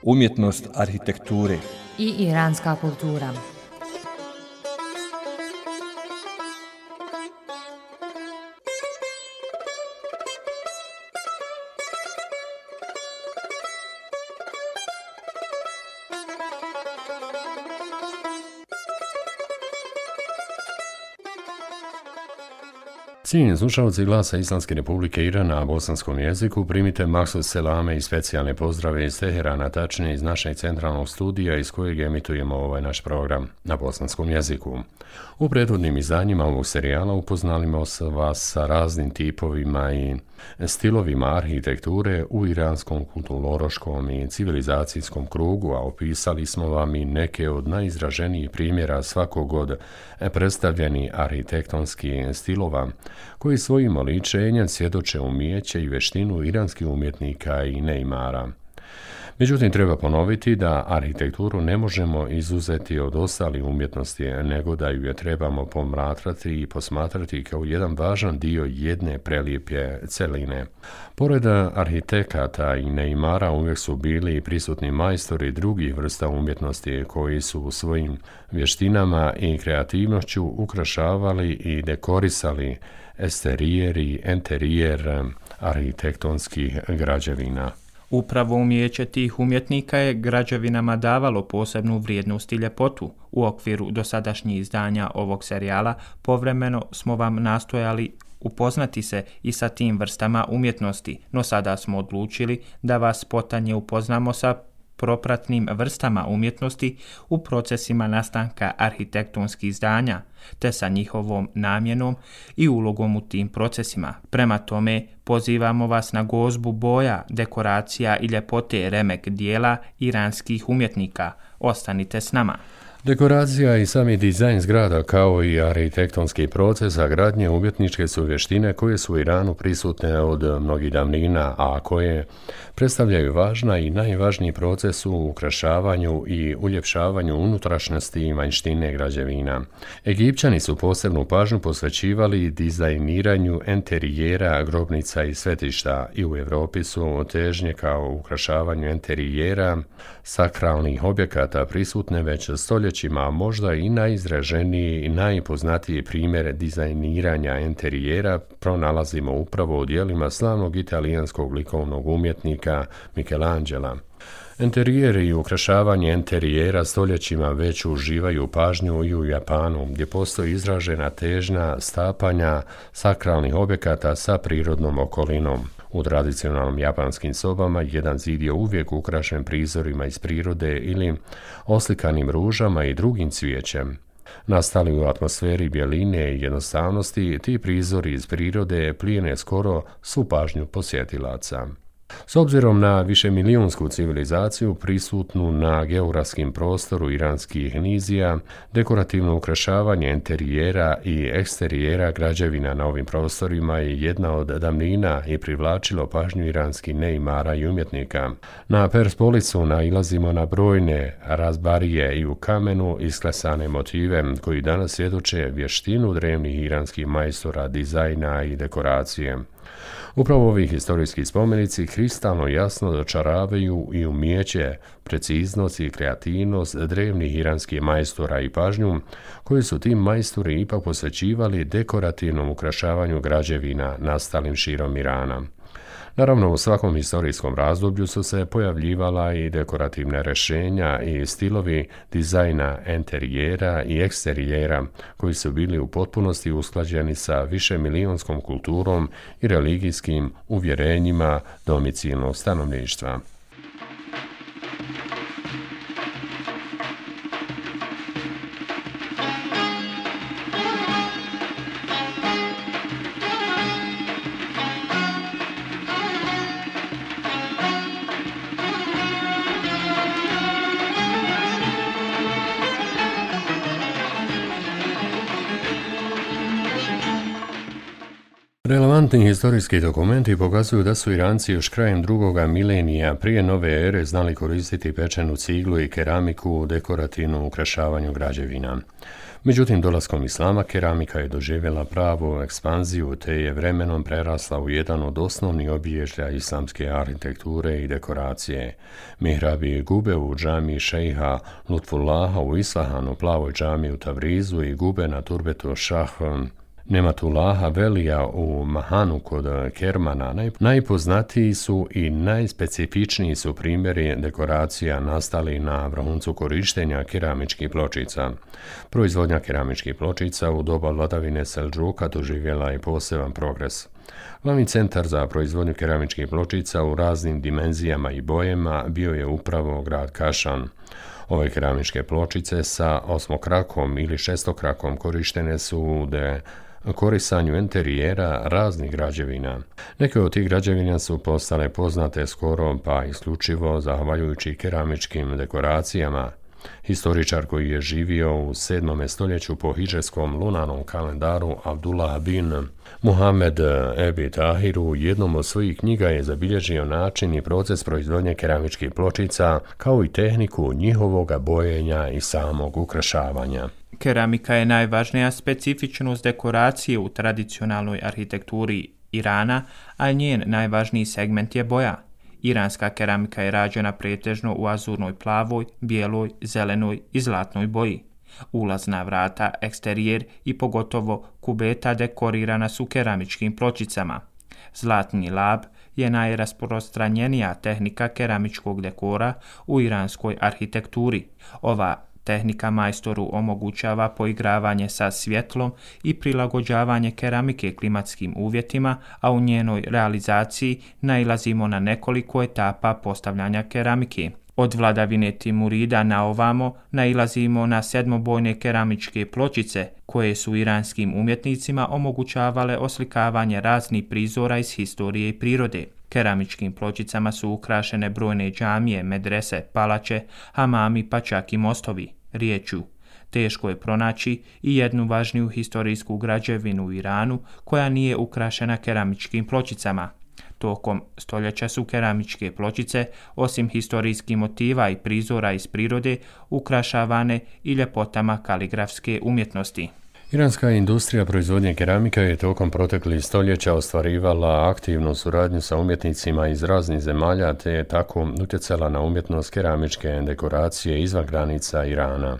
umjetnost arhitekture i iranska kultura. Cijenjeni slušalci Glasa Islamske Republike Iran na bosanskom jeziku, primite Maksud selame i specijalne pozdrave iz Teherana, tačnije iz našeg centralnog studija iz kojeg emitujemo ovaj naš program na bosanskom jeziku. U prethodnim izdanjima ovog serijala upoznali smo vas sa raznim tipovima i stilovima arhitekture u iranskom kulturološkom i civilizacijskom krugu, a opisali smo vam i neke od najizraženijih primjera svakog od predstavljenih arhitektonskih stilova, koji svojim oličenjem svjedoče umijeće i veštinu iranskih umjetnika i neimara. Međutim, treba ponoviti da arhitekturu ne možemo izuzeti od ostalih umjetnosti, nego da ju je trebamo promatrati i posmatrati kao jedan važan dio jedne prelijepe celine. Pored arhitekata i neimara uvijek su bili prisutni majstori drugih vrsta umjetnosti koji su svojim vještinama i kreativnošću ukrašavali i dekorisali eksterijer i enterijer arhitektonskih građevina. Upravo umijeće tih umjetnika je građevinama davalo posebnu vrijednost i ljepotu. U okviru dosadašnjih izdanja ovog serijala povremeno smo vam nastojali upoznati se i sa tim vrstama umjetnosti, no sada smo odlučili da vas potanje upoznamo sa propratnim vrstama umjetnosti u procesima nastanka arhitektonskih izdanja, te sa njihovom namjenom i ulogom u tim procesima. Prema tome, pozivamo vas na gozbu boja, dekoracija i ljepote remek dijela iranskih umjetnika. Ostanite s nama. Dekoracija i sami dizajn zgrada kao i arhitektonski proces gradnje umjetničke su vještine koje su u Iranu prisutne od mnogih davnina, a koje predstavljaju važna i najvažniji proces u ukrašavanju i uljepšavanju unutrašnjosti i vanjštine građevina. Egipćani su posebnu pažnju posvećivali dizajniranju enterijera grobnica i svetišta i u Europi su težnje kao ukrašavanju enterijera sakralnih objekata prisutne već stoljećima, a možda i najizraženiji i najpoznatiji primjer dizajniranja enterijera pronalazimo upravo u djelima slavnog italijanskog likovnog umjetnika Michelangela. Enterijeri i ukrašavanje enterijera stoljećima već uživaju pažnju i u Japanu, gdje postoji izražena težnja stapanja sakralnih objekata sa prirodnom okolinom. U tradicionalnim japanskim sobama jedan zid je uvijek ukrašen prizorima iz prirode ili oslikanim ružama i drugim cvijećem. Nastali u atmosferi bjeline i jednostavnosti, ti prizori iz prirode plijene skoro svu pažnju posjetilaca. S obzirom na višemilijunsku civilizaciju prisutnu na geografskim prostoru iranskih nizija, dekorativno ukrašavanje enterijera i eksterijera građevina na ovim prostorima je jedna od davnina i privlačilo pažnju iranskih neimara i umjetnika. Na Perspolicu nailazimo na brojne razbarije i u kamenu isklesane motive koji danas svjedoče vještinu drevnih iranskih majstora dizajna i dekoracije. Upravo ovi historijski spomenici kristalno jasno dočaravaju i umijeće, preciznost i kreativnost drevnih iranskih majstora i pažnju, koji su tim majstori ipak posvećivali dekorativnom ukrašavanju građevina nastalim širom Irana. Naravno, u svakom historijskom razdoblju su se pojavljivala i dekorativne rješenja i stilovi dizajna enterijera i eksterijera, koji su bili u potpunosti usklađeni sa višemilijonskom kulturom i religijskim uvjerenjima domicilnog stanovništva. Relevantni historijski dokumenti pokazuju da su Iranci još krajem drugoga milenija prije nove ere znali koristiti pečenu ciglu i keramiku u dekorativnom ukrašavanju građevina. Međutim, dolaskom islama keramika je doživjela pravu ekspanziju te je vremenom prerasla u jedan od osnovnih obilježja islamske arhitekture i dekoracije. Mihrabi gube u džamiji šejha Lutfullaha u Islahanu, plavoj džamiji u Tavrizu i gube na turbetu Šah Nematullaha Velija u Mahanu kod Kermana. Najpoznatiji su i najspecifičniji su primjeri dekoracija nastali na vrhuncu korištenja keramičkih pločica. Proizvodnja keramičkih pločica u doba vladavine Seldžuka doživjela je poseban progres. Glavni centar za proizvodnju keramičkih pločica u raznim dimenzijama i bojama bio je upravo grad Kašan. Ove keramičke pločice sa osmokrakom ili šestokrakom korištene su u dekorisanju interijera raznih građevina. Neke od tih građevina su postale poznate skoro pa isključivo zahvaljujući keramičkim dekoracijama. Historičar koji je živio u 7. stoljeću po hidžetskom lunarnom kalendaru Abdullah bin Muhammed Ebi Tahir u jednom od svojih knjiga je zabilježio način i proces proizvodnje keramičkih pločica kao i tehniku njihovoga bojenja i samog ukrašavanja. Keramika je najvažnija specifičnost dekoracije u tradicionalnoj arhitekturi Irana, a njen najvažniji segment je boja. Iranska keramika je rađena pretežno u azurnoj plavoj, bijeloj, zelenoj i zlatnoj boji. Ulazna vrata, eksterijer i pogotovo kubeta dekorirana su keramičkim pločicama. Zlatni lab je najrasprostranjenija tehnika keramičkog dekora u iranskoj arhitekturi. Ova tehnika majstoru omogućava poigravanje sa svjetlom i prilagođavanje keramike klimatskim uvjetima, a u njenoj realizaciji nailazimo na nekoliko etapa postavljanja keramike. Od vladavine Timurida na ovamo nailazimo na sedmobojne keramičke pločice koje su iranskim umjetnicima omogućavale oslikavanje raznih prizora iz historije i prirode. Keramičkim pločicama su ukrašene brojne džamije, medrese, palače, hamami pa čak i mostovi. Riječju, teško je pronaći i jednu važniju historijsku građevinu u Iranu koja nije ukrašena keramičkim pločicama. Tokom stoljeća su keramičke pločice, osim historijskih motiva i prizora iz prirode, ukrašavane i ljepotama kaligrafske umjetnosti. Iranska industrija proizvodnje keramika je tokom proteklih stoljeća ostvarivala aktivnu suradnju sa umjetnicima iz raznih zemalja te je tako utjecala na umjetnost keramičke dekoracije izvan granica Irana.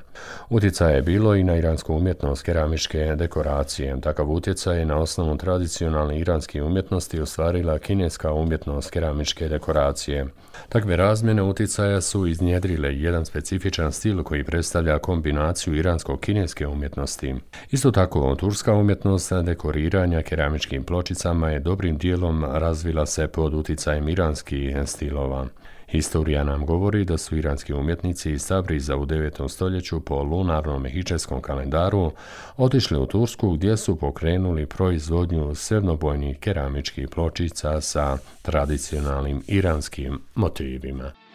Utjecaj je bilo i na iransku umjetnost keramičke dekoracije. Takav utjecaj je na osnovu tradicionalne iranske umjetnosti ostvarila kineska umjetnost keramičke dekoracije. Takve razmjene utjecaja su iznjedrile jedan specifičan stil koji predstavlja kombinaciju iransko-kineske umjetnosti. Isto tako, turska umjetnost dekoriranja keramičkim pločicama je dobrim dijelom razvila se pod utjecajem iranskih stilova. Historija nam govori da su iranski umjetnici iz Tabriza u 9. stoljeću po lunarnom hidžetskom kalendaru otišli u Tursku gdje su pokrenuli proizvodnju sedmobojnih keramičkih pločica sa tradicionalnim iranskim motivima.